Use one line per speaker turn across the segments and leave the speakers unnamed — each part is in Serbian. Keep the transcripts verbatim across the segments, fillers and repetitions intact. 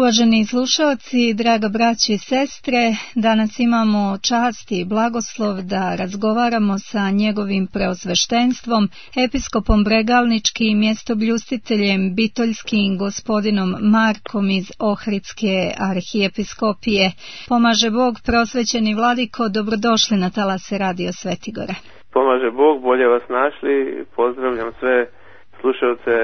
Uvaženi slušalci, draga braći i sestre, danas imamo čast i blagoslov da razgovaramo sa njegovim preosveštenstvom, episkopom Bregalničkim i mjestobljustiteljem bitoljskim gospodinom Markom iz Ohridske arhijepiskopije. Pomaže Bog, prosvećeni vladiko, dobrodošli na talase Radio Svetigora.
Pomaže Bog, bolje vas našli, pozdravljam sve slušalce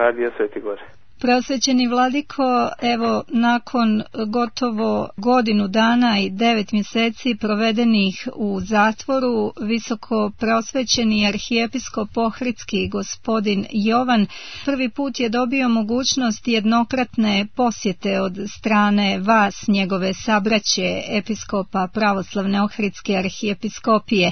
Radija Svetigore.
Prosvećeni vladiko, evo nakon gotovo godinu dana i devet mjeseci provedenih u zatvoru, visoko prosvećeni arhijepiskop Ohridski gospodin Jovan prvi put je dobio mogućnost jednokratne posjete od strane vas, njegove sabraće, episkopa pravoslavne Ohridske arhijepiskopije.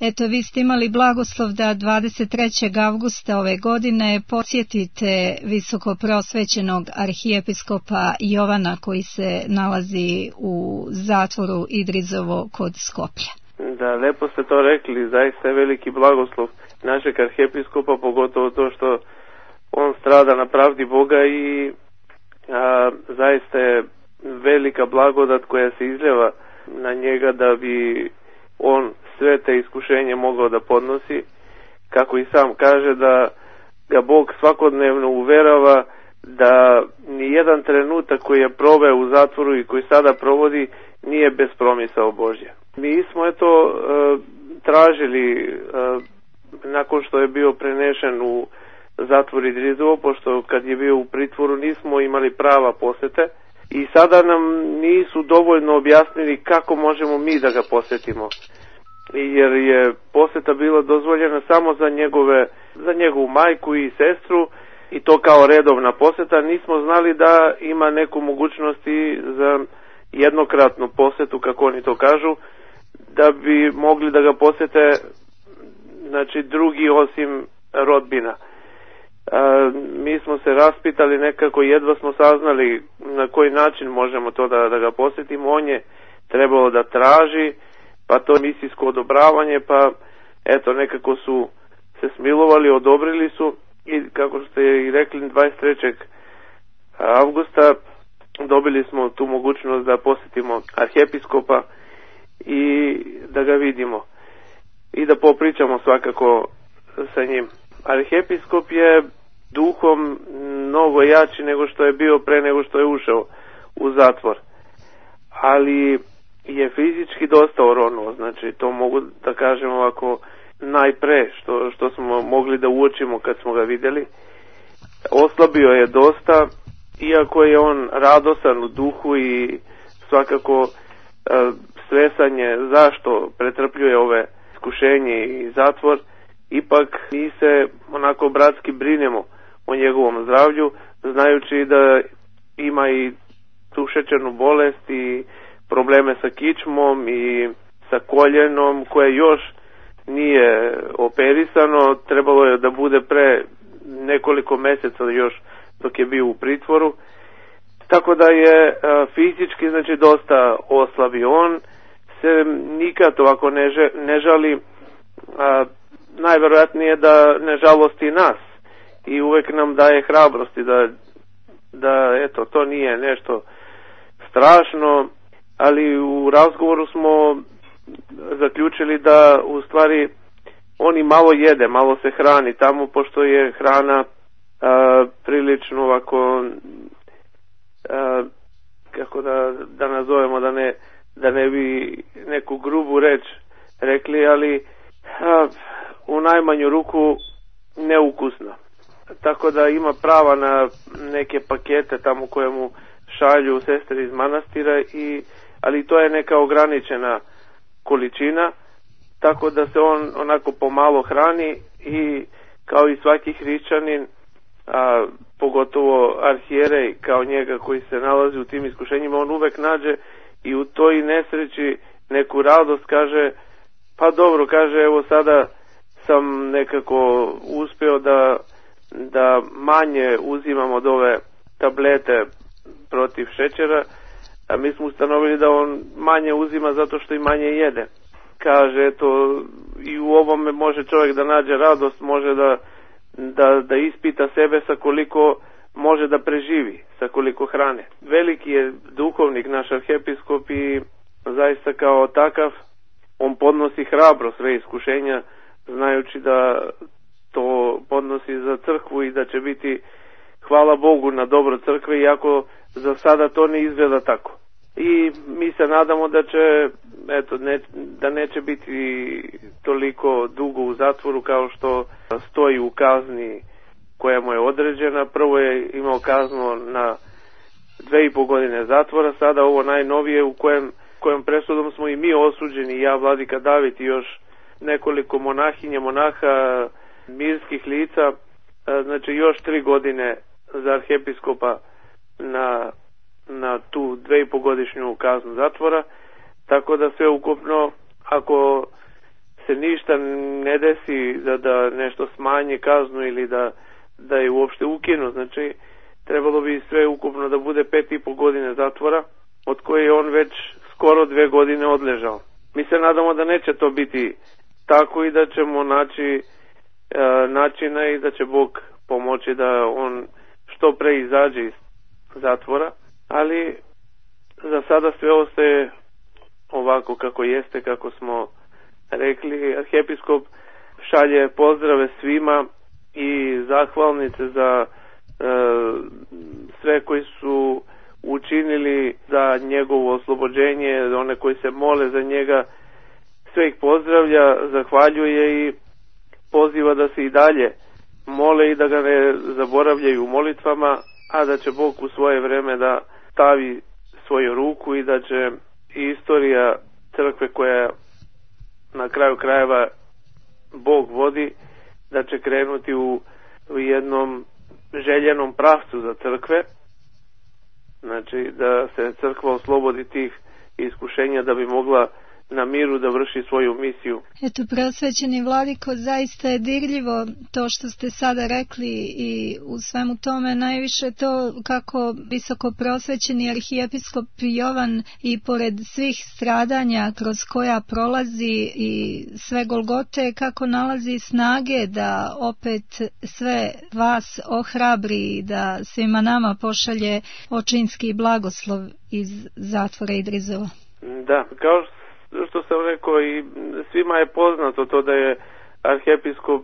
Eto, vi ste imali blagoslov da dvadeset trećeg avgusta ove godine posjetite visoko prosvećenog arhijepiskopa Jovana koji se nalazi u zatvoru Idrizovo kod Skoplja.
Da, lepo ste to rekli, zaista je veliki blagoslov našeg arhijepiskopa, pogotovo to što on strada na pravdi Boga i a, zaista je velika blagodat koja se izljeva na njega da bi on sve te iskušenje mogao da podnosi, kako i sam kaže da ga Bog svakodnevno uverava da ni jedan trenutak koji je proveo u zatvoru i koji sada provodi nije bez promisao Božja. Mi smo eto e, tražili e, nakon što je bio prenešen u zatvor Idrizovo, pošto kad je bio u pritvoru nismo imali prava posete i sada nam nisu dovoljno objasnili kako možemo mi da ga posjetimo, jer je poseta bila dozvoljena samo za njegove, za njegovu majku i sestru, i to kao redovna posjeta. Nismo znali da ima neku mogućnost i za jednokratnu posjetu, kako oni to kažu, da bi mogli da ga posjete, znači, drugi osim rodbina. A, mi smo se raspitali nekako, jedva smo saznali na koji način možemo to da, da ga posjetimo. On je trebalo da traži, pa to misijsko odobravanje, pa eto nekako su se smilovali, odobrili su. I kako ste i rekli, dvadeset trećeg avgusta dobili smo tu mogućnost da posjetimo arhijepiskopa i da ga vidimo i da popričamo svakako sa njim. Arhijepiskop je duhom mnogo jači nego što je bio pre nego što je ušao u zatvor, ali je fizički dosta oronuo, znači to mogu da kažem ovako najpre što, što smo mogli da uočimo kad smo ga vidjeli. Oslabio je dosta, iako je on radosan u duhu i svakako e, svesanje zašto pretrpljuje ove iskušenje i zatvor, ipak mi se onako bratski brinemo o njegovom zdravlju, znajući da ima i tu šećernu bolest i probleme sa kičmom i sa koljenom koje još nije operisano, trebalo je da bude pre nekoliko mjeseca još dok je bio u pritvoru, tako da je a, fizički znači dosta oslabio. On se nikad ovako ne, že, ne žali, a, najvjerojatnije da ne žalosti nas i uvek nam daje hrabrosti da, da eto to nije nešto strašno, ali u razgovoru smo zaključili da u stvari on i malo jede, malo se hrani tamo, pošto je hrana a, prilično ovako a, kako da, da nazovemo, da ne, da ne bi neku grubu reč rekli, ali a, u najmanju ruku neukusna. Tako da ima prava na neke pakete tamo koje mu šalju sestre iz manastira, i, ali to je neka ograničena količina, tako da se on onako pomalo hrani i kao i svaki hrišćanin, a, pogotovo arhijerej kao njega koji se nalazi u tim iskušenjima, on uvek nađe i u toj nesreći neku radost, kaže pa dobro, kaže evo sada sam nekako uspio da, da manje uzimam od ove tablete protiv šećera, a mi smo ustanovili da on manje uzima zato što i manje jede. Kaže, eto, i u ovome može čovjek da nađe radost, može da, da, da ispita sebe sa koliko može da preživi sa koliko hrane. Veliki je duhovnik naš arhijepiskop i zaista kao takav on podnosi hrabro sve iskušenja, znajući da to podnosi za crkvu i da će biti, hvala Bogu, na dobro crkve, iako za sada to ne izgleda tako. I mi se nadamo da će, eto, ne, da neće biti toliko dugo u zatvoru kao što stoji u kazni koja mu je određena. Prvo je imao kaznu na dve i po godine zatvora, sada ovo najnovije u kojem, kojem presudom smo i mi osuđeni, ja, vladika David i još nekoliko monahinja, monaha, mirskih lica, znači još tri godine za arhijepiskopa na, na tu dve i po godišnju kaznu zatvora, tako da sve ukupno, ako se ništa ne desi da, da nešto smanje kaznu ili da, da je uopšte ukinu, znači trebalo bi sve ukupno da bude pet i po godine zatvora, od koje je on već skoro dve godine odležao. Mi se nadamo da neće to biti tako i da ćemo naći e, načina i da će Bog pomoći da on što pre izađe iz zatvora, ali za sada sve ostaje ovako kako jeste, kako smo rekli. Arhijepiskop šalje pozdrave svima i zahvalnice za e, sve koji su učinili za njegovo oslobođenje, one koji se mole za njega, sve ih pozdravlja, zahvaljuje i poziva da se i dalje mole i da ga ne zaboravljaju u molitvama, a da će Bog u svoje vreme da stavi svoju ruku i da će i istorija crkve koja na kraju krajeva Bog vodi, da će krenuti u, u jednom željenom pravcu za crkve, znači da se crkva oslobodi tih iskušenja da bi mogla na miru da vrši svoju misiju.
Eto, prosvećeni vladiko, zaista je dirljivo to što ste sada rekli i u svemu tome najviše to kako visoko prosvećeni arhijepiskop Jovan i pored svih stradanja kroz koja prolazi i sve golgote, kako nalazi snage da opet sve vas ohrabri i da svima nama pošalje očinski blagoslov iz zatvora Idrizova.
Da, kao što što sam rekao, i svima je poznato to da je arhijepiskop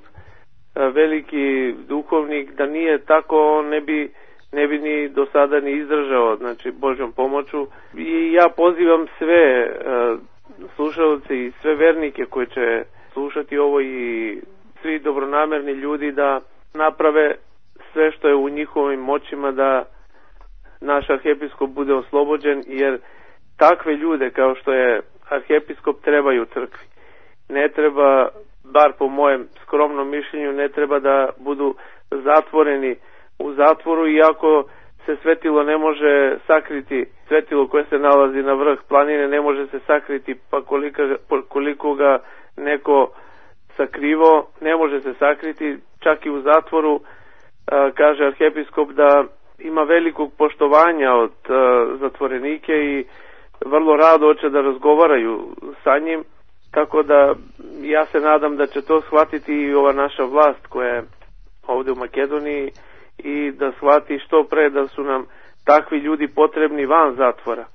veliki duhovnik, da nije tako on ne bi, ne bi ni do sada ni izdržao, znači Božjom pomoću. I ja pozivam sve uh, slušalce i sve vernike koji će slušati ovo i svi dobronamerni ljudi da naprave sve što je u njihovim moćima da naš arhijepiskop bude oslobođen, jer takve ljude kao što je arhijepiskop trebaju crkvi. Ne treba, bar po mojem skromnom mišljenju, ne treba da budu zatvoreni u zatvoru, iako se svetilo ne može sakriti, svetilo koje se nalazi na vrh planine ne može se sakriti, pa koliko, koliko ga neko sakrivo, ne može se sakriti, čak i u zatvoru. A, kaže arhijepiskop da ima velikog poštovanja od a, zatvorenike i vrlo rado hoće da razgovaraju sa njim, tako da ja se nadam da će to shvatiti i ova naša vlast koja je ovdje u Makedoniji i da shvati što pre da su nam takvi ljudi potrebni van zatvora,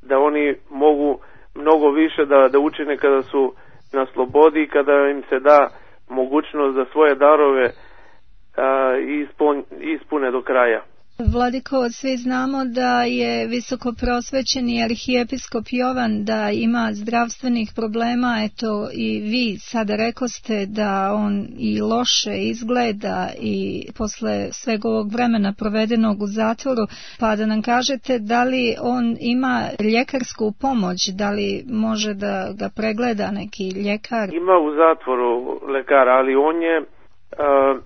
da oni mogu mnogo više da, da učine kada su na slobodi i kada im se da mogućnost da svoje darove a, ispun, ispune do kraja.
Vladiko, svi znamo da je visoko prosvećeni arhijepiskop Jovan da ima zdravstvenih problema, eto i vi sada rekoste da on i loše izgleda i posle sveg ovog vremena provedenog u zatvoru, pa da nam kažete da li on ima ljekarsku pomoć, da li može da ga pregleda neki ljekar?
Ima u zatvoru lekara, ali on je... Uh...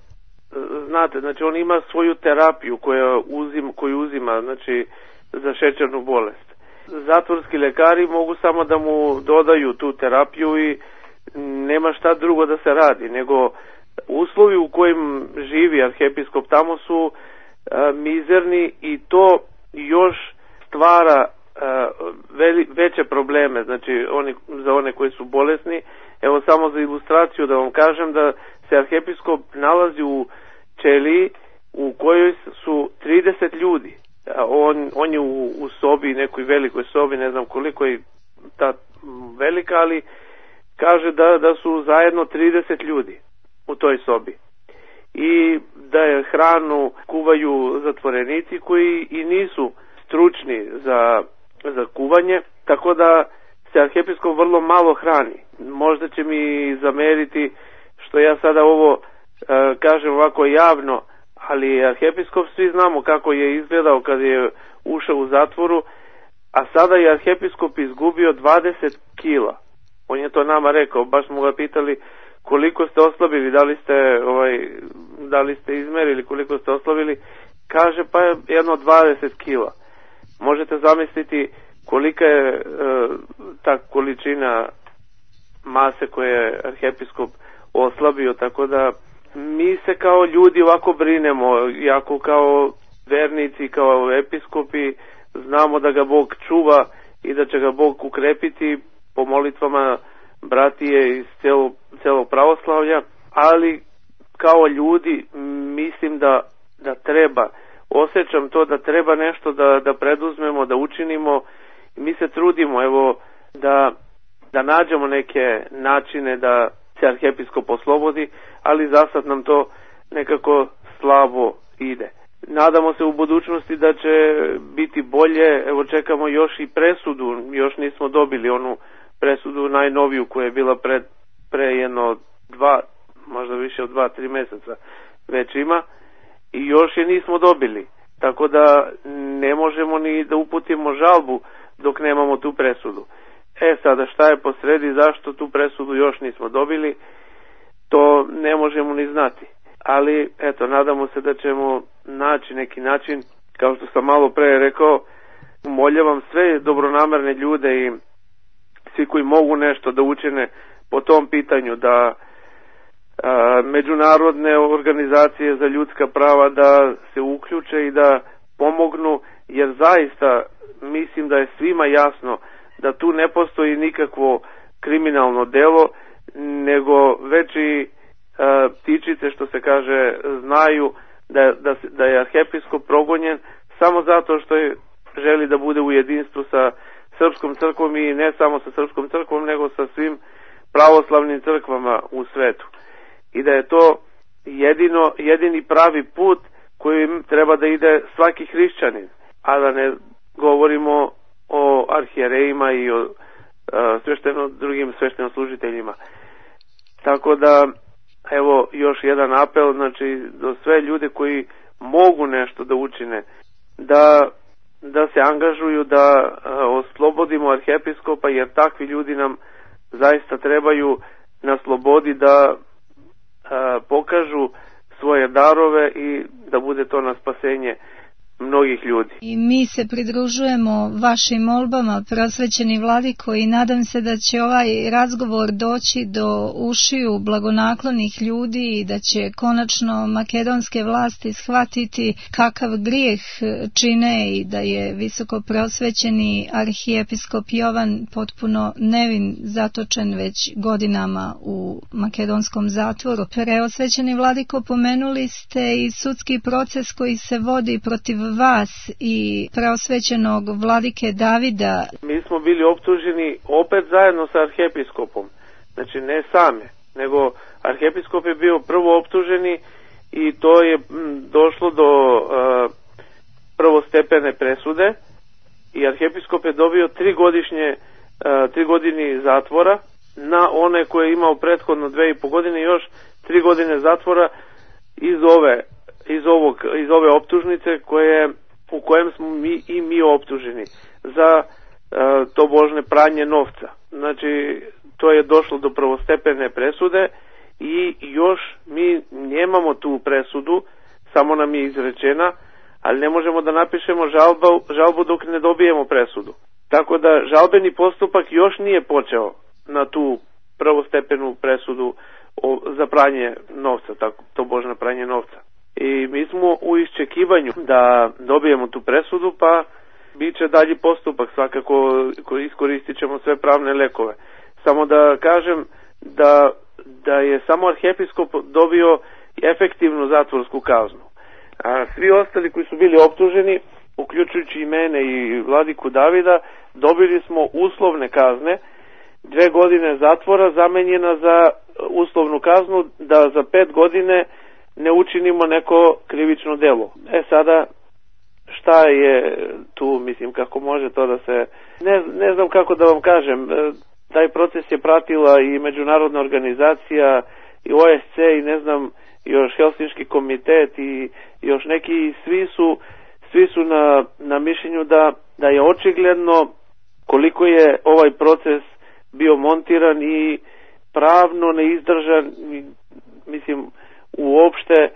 Znate, znači on ima svoju terapiju koju uzima, koju uzima znači, za šećernu bolest. Zatvorski lekari mogu samo da mu dodaju tu terapiju i nema šta drugo da se radi, nego uslovi u kojim živi arhijepiskop tamo su a, mizerni i to još stvara a, veli, veće probleme, znači oni, za one koji su bolesni. Evo samo za ilustraciju da vam kažem da se arhijepiskop nalazi u ćeliji u kojoj su trideset ljudi. On, on je u, u sobi, nekoj velikoj sobi, ne znam koliko je ta velika, ali kaže da, da su zajedno trideset ljudi u toj sobi. I da je hranu kuvaju zatvorenici koji i nisu stručni za, za kuvanje, tako da se arhijepiskop vrlo malo hrani. Možda će mi zameriti što ja sada ovo e, kažem ovako javno, ali arhijepiskop svi znamo kako je izgledao kad je ušao u zatvoru, a sada je arhijepiskop izgubio dvadeset kila. On je to nama rekao, baš smo ga pitali koliko ste oslabili, da li ste, ovaj, da li ste izmerili koliko ste oslabili, kaže pa jedno dvadeset kila. Možete zamisliti kolika je e, ta količina mase koje je arhijepiskop oslabio, tako da mi se kao ljudi ovako brinemo, jako kao vernici, kao episkopi, znamo da ga Bog čuva i da će ga Bog ukrepiti po molitvama bratije iz celog, celog pravoslavlja, ali kao ljudi mislim da, da treba, osjećam to da treba nešto da, da preduzmemo, da učinimo. Mi se trudimo, evo, da, da nađemo neke načine da se arhijepiskop oslobodi, ali za sad nam to nekako slabo ide. Nadamo se u budućnosti da će biti bolje, evo čekamo još i presudu, još nismo dobili onu presudu najnoviju koja je bila pred, pre jedno dva, možda više od dva, tri meseca već ima i još je nismo dobili, tako da ne možemo ni da uputimo žalbu dok nemamo tu presudu. E sada šta je posredi, zašto tu presudu još nismo dobili, to ne možemo ni znati. Ali eto, nadamo se da ćemo naći neki način, kao što sam malo pre rekao, moljavam sve dobronamerne ljude i svi koji mogu nešto da učine po tom pitanju, da a, međunarodne organizacije za ljudska prava da se uključe i da pomognu, jer zaista mislim da je svima jasno da tu ne postoji nikakvo kriminalno delo, nego već i a, ptičice, što se kaže, znaju da, da, da je arhijepiskop progonjen samo zato što je želi da bude u jedinstvu sa Srpskom crkvom i ne samo sa Srpskom crkvom, nego sa svim pravoslavnim crkvama u svetu. I da je to jedino, jedini pravi put kojim treba da ide svaki hrišćanin, a da ne govorimo o arhijerejima i o a, svešteno, drugim sveštenoslужiteljima. Tako da, evo, još jedan apel, znači, do sve ljude koji mogu nešto da učine, da da se angažuju, da a, oslobodimo arhijepiskopa, jer takvi ljudi nam zaista trebaju na slobodi da a, pokažu svoje darove i da bude to na spasenje mnogih ljudi.
I mi se pridružujemo vašim molbama, prosvećeni vladiko, i nadam se da će ovaj razgovor doći do ušiju blagonaklonih ljudi i da će konačno makedonske vlasti shvatiti kakav grijeh čine i da je visoko prosvećeni arhijepiskop Jovan potpuno nevin, zatočen već godinama u makedonskom zatvoru. Preosvećeni vladiko, pomenuli ste i sudski proces koji se vodi protiv vas i preosvećenog vladike Davida.
Mi smo bili optuženi opet zajedno sa arhijepiskopom, znači ne same, nego arhijepiskop je bio prvo optuženi i to je došlo do uh, prvostepene presude i arhijepiskop je dobio tri godišnje uh, tri godini zatvora na one koje je imao prethodno dve i po godine, još tri godine zatvora iz ove iz ovog iz ove optužnice koje u kojem smo mi i mi optuženi za e, tobožne pranje novca. Znači to je došlo do prvostepene presude i još mi nemamo tu presudu, samo nam je izrečena, ali ne možemo da napišemo žalbu, žalbu dok ne dobijemo presudu. Tako da žalbeni postupak još nije počeo na tu prvostepenu presudu o, za pranje novca, tako, tobožne pranje novca. I mi smo u iščekivanju da dobijemo tu presudu, pa bit će dalji postupak, svakako iskoristit ćemo sve pravne lekove. Samo da kažem da, da je samo arhijepiskop dobio efektivnu zatvorsku kaznu. A svi ostali koji su bili optuženi, uključujući i mene i vladiku Davida, dobili smo uslovne kazne, dve godine zatvora zamenjena za uslovnu kaznu da za pet godine ne učinimo neko krivično delo. E sada, šta je tu, mislim, kako može to da se... Ne, ne znam kako da vam kažem, taj proces je pratila i međunarodna organizacija, i O S C, i ne znam, još Helsinški komitet, i još neki, svi su, svi su na, na mišljenju da, da je očigledno koliko je ovaj proces bio montiran i pravno neizdržan, mislim, uopšte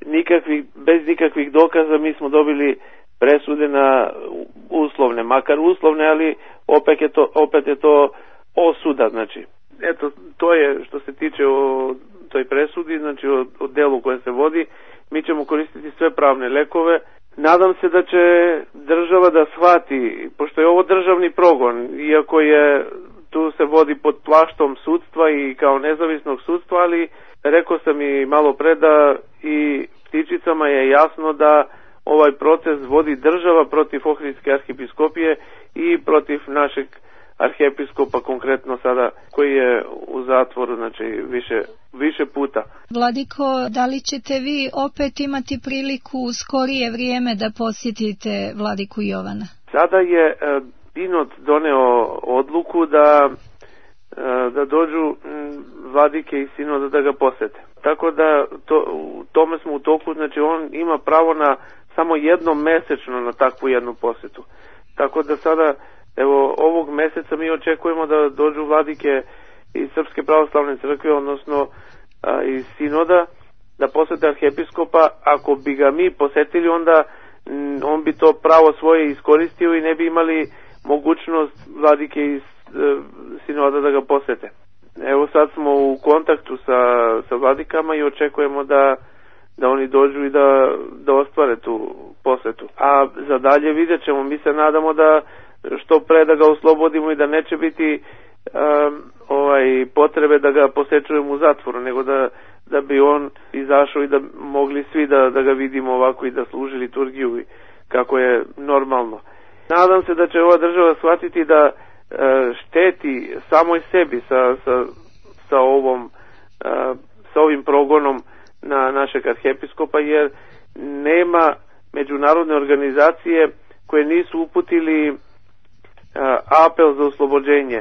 nikakvih, bez nikakvih dokaza mi smo dobili presude na uslovne, makar uslovne, ali opet je to, opet je to osuda, znači. Eto, to je što se tiče o toj presudi, znači o, o delu koje se vodi. Mi ćemo koristiti sve pravne lekove. Nadam se da će država da shvati, pošto je ovo državni progon, iako je tu se vodi pod plaštom sudstva i kao nezavisnog sudstva, ali rekao sam i malo pre da i ptičicama je jasno da ovaj proces vodi država protiv Ohridske arhijepiskopije i protiv našeg arhijepiskopa, konkretno sada, koji je u zatvoru, znači više, više puta.
Vladiko, da li ćete vi opet imati priliku u skorije vrijeme da posjetite vladiku Jovana?
Sada je e, Binod doneo odluku da, e, da dođu m, vladike i sinoda da ga posete. Tako da to, u tome smo u toku, znači on ima pravo na samo jednom mesečno na takvu jednu posetu. Tako da sada, evo, ovog meseca mi očekujemo da dođu vladike iz Srpske pravoslavne crkve, odnosno a, iz sinoda, da posete arhijepiskopa. Ako bi ga mi posetili, onda m, on bi to pravo svoje iskoristio i ne bi imali mogućnost vladike iz e, sinoda da ga posete. Evo, sad smo u kontaktu sa, sa vladikama i očekujemo da da oni dođu i da, da ostvare tu posetu. A za dalje vidjet ćemo, mi se nadamo da što pre da ga oslobodimo i da neće biti um, ovaj, potrebe da ga posečujemo u zatvoru, nego da, da bi on izašao i da mogli svi da, da ga vidimo ovako i da služi liturgiju i kako je normalno. Nadam se da će ova država shvatiti da uh, šteti samoj sebi sa, sa, sa, ovom, uh, sa ovim progonom na našeg arhijepiskopa, jer nema međunarodne organizacije koje nisu uputili uh, apel za oslobođenje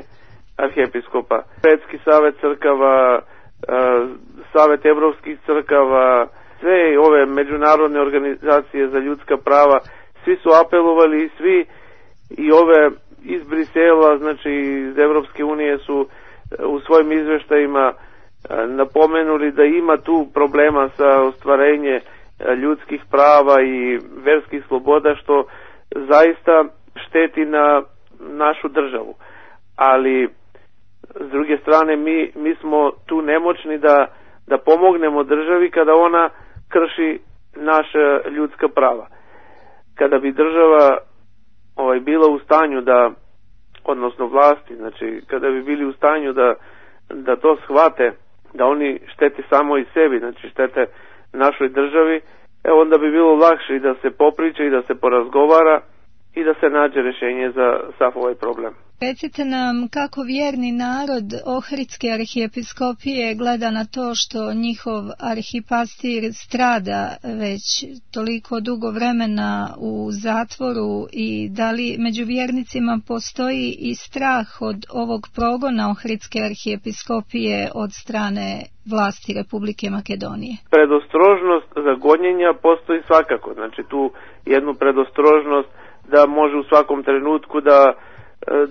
arhijepiskopa. Svetski savet crkava, uh, Savet evropskih crkava, sve ove međunarodne organizacije za ljudska prava, svi su apelovali, svi i ove iz Brisela, znači iz Evropske unije su uh, u svojim izveštajima napomenuli da ima tu problema sa ostvarenje ljudskih prava i verskih sloboda, što zaista šteti na našu državu. Ali s druge strane mi, mi smo tu nemoćni da, da pomognemo državi kada ona krši naša ljudska prava. Kada bi država ovaj, bila u stanju da, odnosno vlasti, znači kada bi bili u stanju da, da to shvate, da oni štete samo i sebi, znači štete našoj državi, e onda bi bilo lakše i da se popriča i da se porazgovara i da se nađe rješenje za sav ovaj problem.
Recite nam kako vjerni narod Ohridske arhijepiskopije gleda na to što njihov arhipastir strada već toliko dugo vremena u zatvoru, i da li među vjernicima postoji i strah od ovog progona Ohridske arhijepiskopije od strane vlasti Republike Makedonije?
Predostrožnost za gonjenja postoji svakako, znači tu jednu predostrožnost da može u svakom trenutku da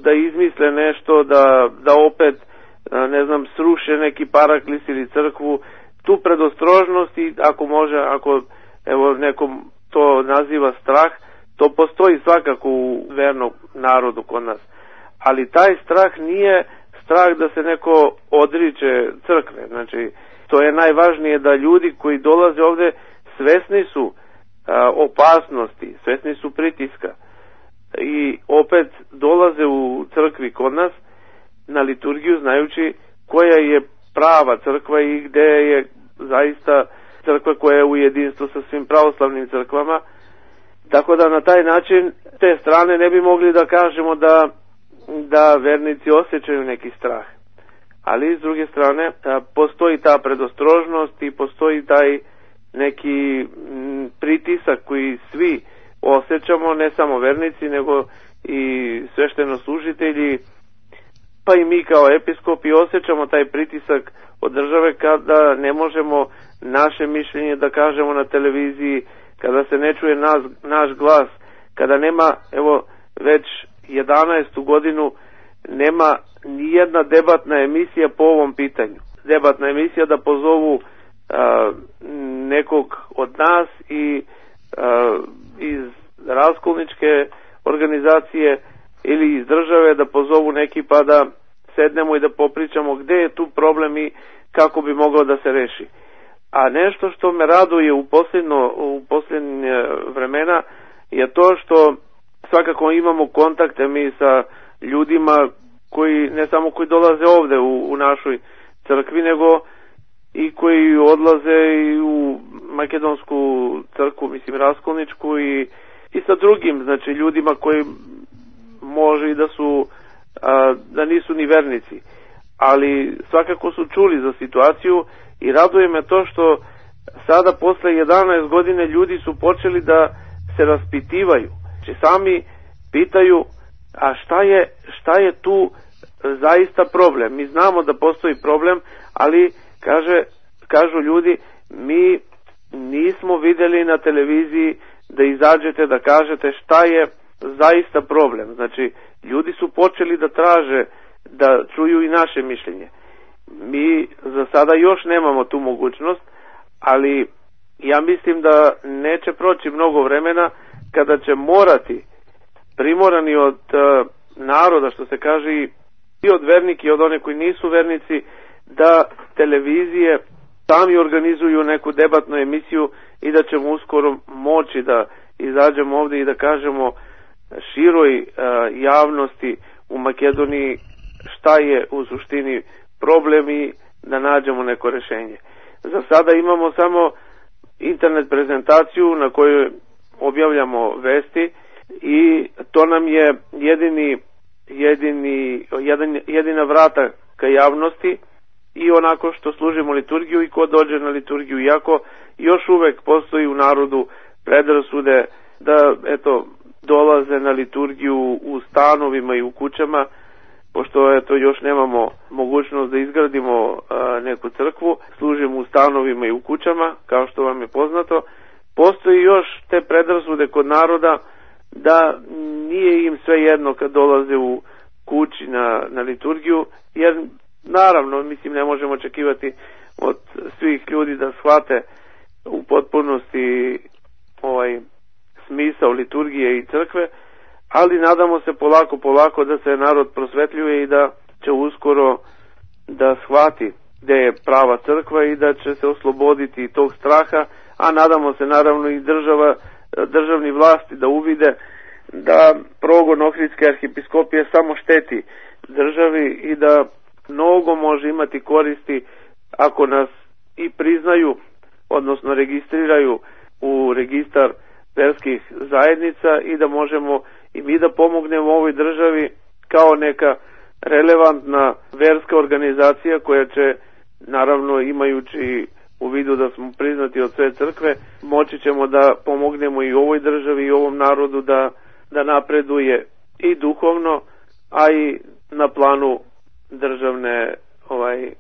da izmisle nešto, da, da opet, ne znam, sruše neki paraklis ili crkvu. Tu predostrožnost, i ako može, ako evo nekom to naziva strah, to postoji svakako u vernom narodu kod nas. Ali taj strah nije strah da se neko odriče crkve. Znači, to je najvažnije, da ljudi koji dolaze ovde svesni su a, opasnosti, svesni su pritiska. I opet dolaze u crkvi kod nas na liturgiju znajući koja je prava crkva i gde je zaista crkva koja je u jedinstvu sa svim pravoslavnim crkvama. Tako da na taj način te strane ne bi mogli da kažemo da, da vernici osjećaju neki strah. Ali s druge strane postoji ta predostrožnost i postoji taj neki pritisak koji svi osjećamo, ne samo vernici nego i sveštenoslужitelji, pa i mi kao episkopi osjećamo taj pritisak od države kada ne možemo naše mišljenje da kažemo na televiziji, kada se ne čuje nas, naš glas, kada nema, evo već jedanaestu godinu nema nijedna debatna emisija po ovom pitanju. Debatna emisija da pozovu a, nekog od nas i a, iz raskolničke organizacije ili iz države da pozovu neki pa da sednemo i da popričamo gde je tu problem i kako bi moglo da se reši. A nešto što me raduje u posljedno, u posljednje vremena je to što svakako imamo kontakte mi sa ljudima koji ne samo koji dolaze ovde u, u našoj crkvi, nego i koji odlaze i u makedonsku crkvu, mislim raskolničku i, i sa drugim, znači ljudima koji može i da su a, da nisu ni vernici, ali svakako su čuli za situaciju i raduje me to što sada posle jedanaest godine ljudi su počeli da se raspitivaju, znači sami pitaju a šta je, šta je tu zaista problem. Mi znamo da postoji problem, ali kaže, kažu ljudi, mi nismo vidjeli na televiziji da izađete da kažete šta je zaista problem. Znači, ljudi su počeli da traže, da čuju i naše mišljenje. Mi za sada još nemamo tu mogućnost, ali ja mislim da neće proći mnogo vremena kada će morati, primorani od uh, naroda, što se kaže, i od vernika i od one koji nisu vernici, da televizije sami organizuju neku debatnu emisiju i da ćemo uskoro moći da izađemo ovdje i da kažemo široj uh, javnosti u Makedoniji šta je u suštini problem i da nađemo neko rešenje. Za sada imamo samo internet prezentaciju na kojoj objavljamo vesti i to nam je jedini, jedini, jedan, jedina vrata ka javnosti i onako što služimo liturgiju i ko dođe na liturgiju, iako još uvek postoji u narodu predrasude da eto dolaze na liturgiju u stanovima i u kućama, pošto eto još nemamo mogućnost da izgradimo a, neku crkvu, služimo u stanovima i u kućama, kao što vam je poznato. Postoji još te predrasude kod naroda da nije im sve jedno kad dolaze u kući na, na liturgiju, jer naravno, mislim, ne možemo očekivati od svih ljudi da shvate u potpunosti ovaj smisao liturgije i crkve, ali nadamo se polako, polako da se narod prosvetljuje i da će uskoro da shvati gde je prava crkva i da će se osloboditi tog straha, a nadamo se naravno i država, državni vlasti da uvide da progon Ohridske arhijepiskopije samo šteti državi i da mnogo može imati koristi ako nas i priznaju, odnosno registriraju u registar verskih zajednica i da možemo i mi da pomognemo ovoj državi kao neka relevantna verska organizacija koja će, naravno imajući u vidu da smo priznati od sve crkve, moći ćemo da pomognemo i ovoj državi i ovom narodu da, da napreduje i duhovno, a i na planu državne ovaj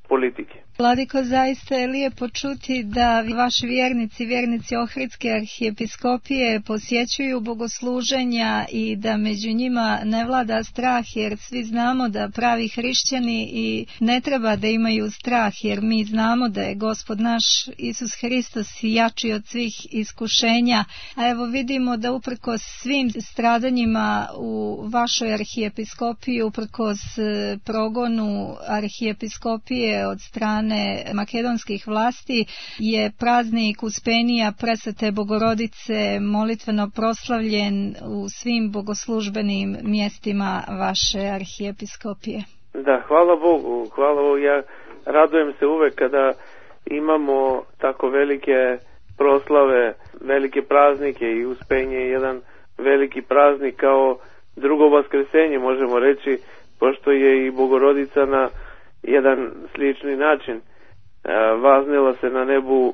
politike.
Vladiko, zaista je lijepo čuti da vaši vjernici, vjernici Ohridske arhijepiskopije posjećuju bogosluženja i da među njima ne vlada strah, jer svi znamo da pravi hrišćani i ne treba da imaju strah, jer mi znamo da je Gospod naš Isus Hristos jači od svih iskušenja. A evo vidimo da uprkos svim stradanjima u vašoj arhijepiskopiji, uprkos progonu arhijepiskopije od strane makedonskih vlasti, je praznik Uspenija Presvete Bogorodice molitveno proslavljen u svim bogoslužbenim mjestima vaše arhijepiskopije.
Da, hvala Bogu, hvala Bogu. Ja radujem se uvek kada imamo tako velike proslave, velike praznike i Uspenje je jedan veliki praznik kao drugo vaskresenje, možemo reći, pošto je i Bogorodica na jedan slični način e, vaznela se na nebu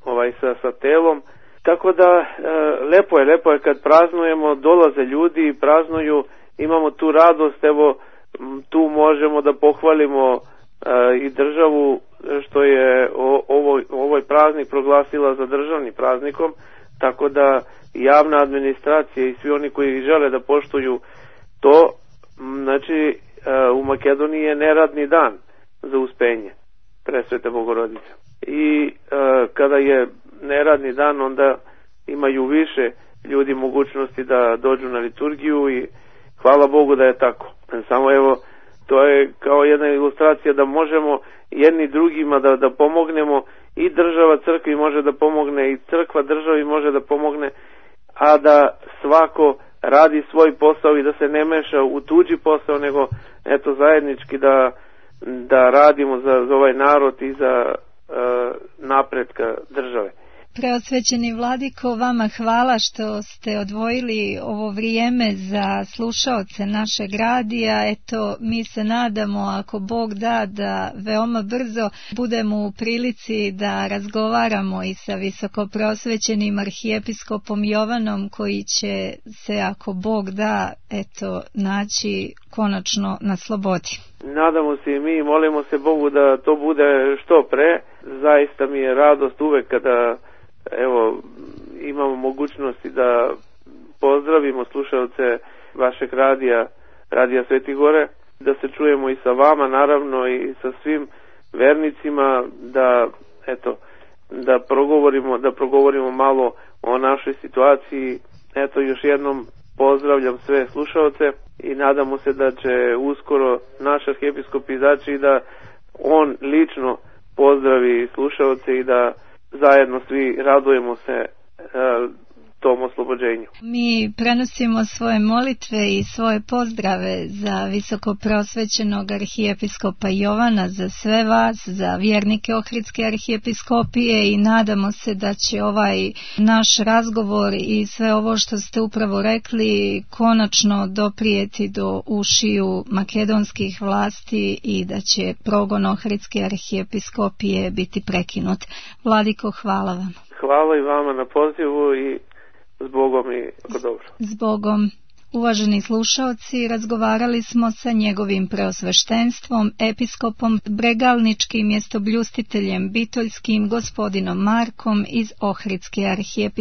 ovaj sa, sa telom. Tako da e, lepo je, lepo je kad praznujemo, dolaze ljudi i praznuju, imamo tu radost, evo tu možemo da pohvalimo e, i državu što je o, ovoj, ovoj praznik proglasila za državni praznikom, tako da javna administracija i svi oni koji žele da poštuju to, znači e, u Makedoniji je neradni dan za Uspenje Presvete Bogorodice. I e, kada je neradni dan, onda imaju više ljudi mogućnosti da dođu na liturgiju i hvala Bogu da je tako. Samo evo, to je kao jedna ilustracija da možemo jedni drugima da, da pomognemo, i država crkvi može da pomogne i crkva državi može da pomogne, a da svako radi svoj posao i da se ne meša u tuđi posao, nego eto zajednički da, da radimo za, za ovaj narod i za uh, napretka države.
Preosvećeni vladiko, vama hvala što ste odvojili ovo vrijeme za slušaoce našeg radija. Eto, mi se nadamo, ako Bog da, da veoma brzo budemo u prilici da razgovaramo i sa visokopreosvećenim arhijepiskopom Jovanom, koji će se, ako Bog da, eto, naći konačno na slobodi.
Nadamo se i mi, molimo se Bogu da to bude što pre. Zaista mi je radost uvek kada evo imamo mogućnosti da pozdravimo slušalce vašeg radija, radija Sveti Gore, da se čujemo i sa vama naravno i sa svim vernicima, da eto da progovorimo, da progovorimo malo o našoj situaciji. Eto, još jednom pozdravljam sve slušalce i nadamo se da će uskoro naš arhijepiskop izaći i da on lično pozdravi slušalce i da zajedno svi radujemo se e, tom oslobođenju.
Mi prenosimo svoje molitve i svoje pozdrave za visokopreosvećenog arhijepiskopa Jovana, za sve vas, za vjernike Ohridske arhijepiskopije, i nadamo se da će ovaj naš razgovor i sve ovo što ste upravo rekli konačno doprijeti do ušiju makedonskih vlasti i da će progon Ohridske arhijepiskopije biti prekinut. Vladiko, hvala vam.
Hvala i vama na pozivu i Zbogom i tako dobro.
Zbogom. Uvaženi slušaoci, razgovarali smo sa njegovim preosveštenstvom, episkopom Bregalničkim mjestobljustiteljem Bitoljskim, gospodinom Markom iz Ohridske arhijepiskopije.